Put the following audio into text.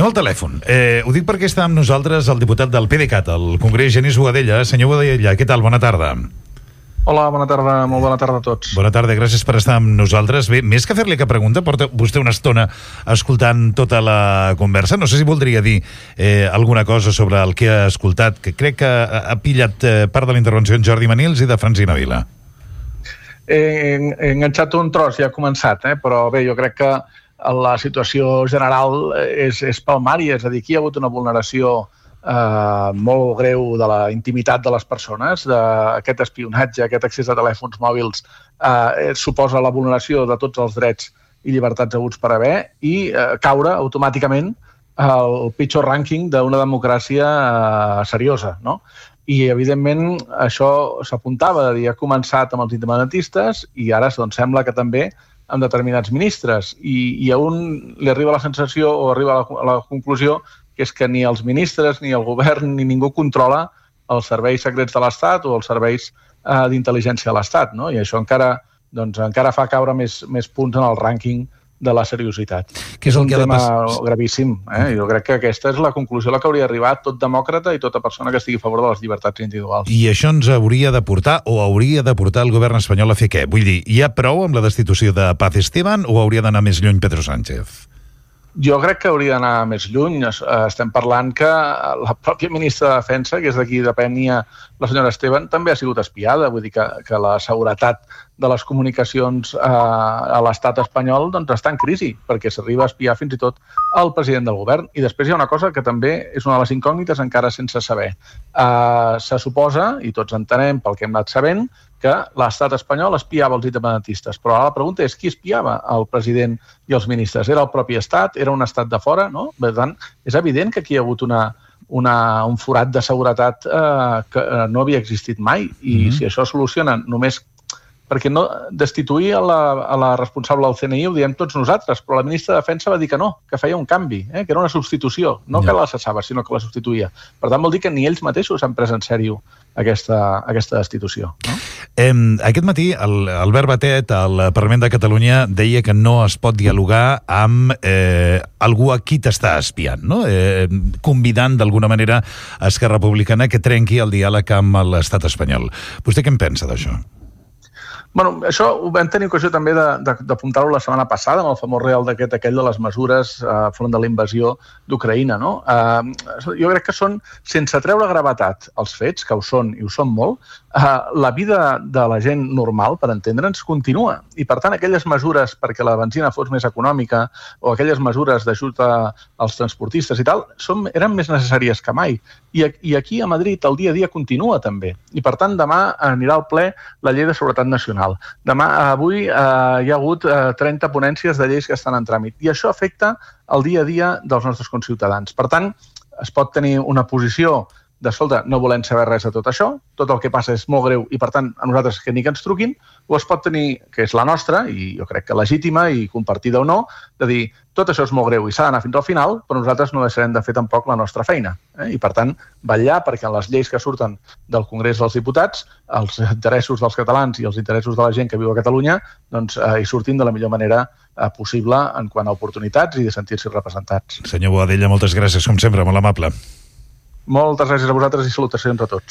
Anem al telèfon. Ho dic perquè està amb nosaltres el diputat del PDeCAT, al Congrés, Genís Boadella. Senyor Boadella, què tal? Bona tarda. Hola, bona tarda, molt bona tarda a tots. Bona tarda, gràcies per estar amb nosaltres. Bé, més que fer-li cap pregunta, porta vostè una estona escoltant tota la conversa. No sé si voldria dir alguna cosa sobre el que ha escoltat, que crec que ha pillat part de la intervenció en Jordi Manils i de Francina Vila. He enganxat un tros, ja ha començat, però bé, jo crec que la situació general és palmària, és a dir, aquí hi ha hagut una vulneració molt greu de la intimitat de les persones, d'aquest espionatge, aquest accés a telèfons mòbils suposa la vulneració de tots els drets i llibertats haguts per haver i caure automàticament al pitjor rànquing d'una democràcia seriosa, no? I, evidentment, això s'apuntava, ha començat amb els independentistes i ara sembla que també amb determinats ministres. I a un li arriba la sensació o arriba a la conclusió que és que ni els ministres, ni el govern, ni ningú controla els serveis secrets de l'Estat o els serveis d'intel·ligència de l'Estat, no? I això encara fa caure més punts en el rànquing de la seriositat. És un tema gravíssim. Jo crec que aquesta és la conclusió a la que hauria arribat tot demòcrata i tota persona que estigui a favor de les llibertats individuals. I això ens hauria de portar, o hauria de portar el govern espanyol a fer què? Vull dir, hi ha prou amb la destitució de Paz Esteban o hauria d'anar més lluny Pedro Sánchez? Jo crec que hauria d'anar més lluny. Estem parlant que la pròpia ministra de Defensa, que és d'aquí depenia la senyora Esteban, també ha sigut espiada. Vull dir que la seguretat de les comunicacions a l'estat espanyol està en crisi, perquè s'arriba a espiar fins i tot el president del govern. I després hi ha una cosa que també és una de les incògnites encara sense saber. Se suposa, i tots entenem pel que hem anat sabent, que l'estat espanyol espiava els independentistes. Però ara la pregunta és qui espiava el president i els ministres? Era el propi estat? Era un estat de fora? No? Per tant, és evident que aquí hi ha hagut un forat de seguretat que no havia existit mai. I si això es soluciona només perquè no destituir a la responsable del CNI ho diem tots nosaltres, però la ministra de Defensa va dir que no, que feia un canvi, que era una substitució, no que la cessava, sinó que la substituïa. Per tant, vol dir que ni ells mateixos han pres en sèrio aquesta destitució. No? Aquest matí, Albert Batet, al Parlament de Catalunya, deia que no es pot dialogar amb algú a qui t'està espiant, no? Convidant d'alguna manera a Esquerra Republicana que trenqui el diàleg amb l'estat espanyol. Vostè què en pensa d'això? Bueno, això ho vam tenir ocasió també d'apuntar-ho la setmana passada amb el famós Real Decret aquell de les mesures front de la invasió d'Ucraïna, no? Jo crec que són, sense treure gravetat els fets, que ho són i ho són molt, la vida de la gent normal, per entendre'ns, continua. I, per tant, aquelles mesures perquè la benzina fos més econòmica o aquelles mesures d'ajut als transportistes i tal, eren més necessàries que mai. I aquí a Madrid el dia a dia continua també. I, per tant, demà anirà al ple la llei de seguretat nacional. Avui hi ha hagut 30 ponències de lleis que estan en tràmit i això afecta el dia a dia dels nostres conciutadans. Per tant, es pot tenir una posició de, escolta, no volem saber res de tot això, tot el que passa és molt greu i, per tant, a nosaltres que ni que ens truquin, o es pot tenir, que és la nostra, i jo crec que legítima i compartida o no, de dir, tot això és molt greu i s'ha d'anar fins al final, però nosaltres no deixarem de fer tampoc la nostra feina. I, per tant, vetllar perquè en les lleis que surten del Congrés dels Diputats, els interessos dels catalans i els interessos de la gent que viu a Catalunya, hi surtin de la millor manera possible en quant a oportunitats i de sentir-se representats. Senyor Boadella, moltes gràcies, com sempre, molt amable. Moltes gràcies a vosaltres i salutacions a tots.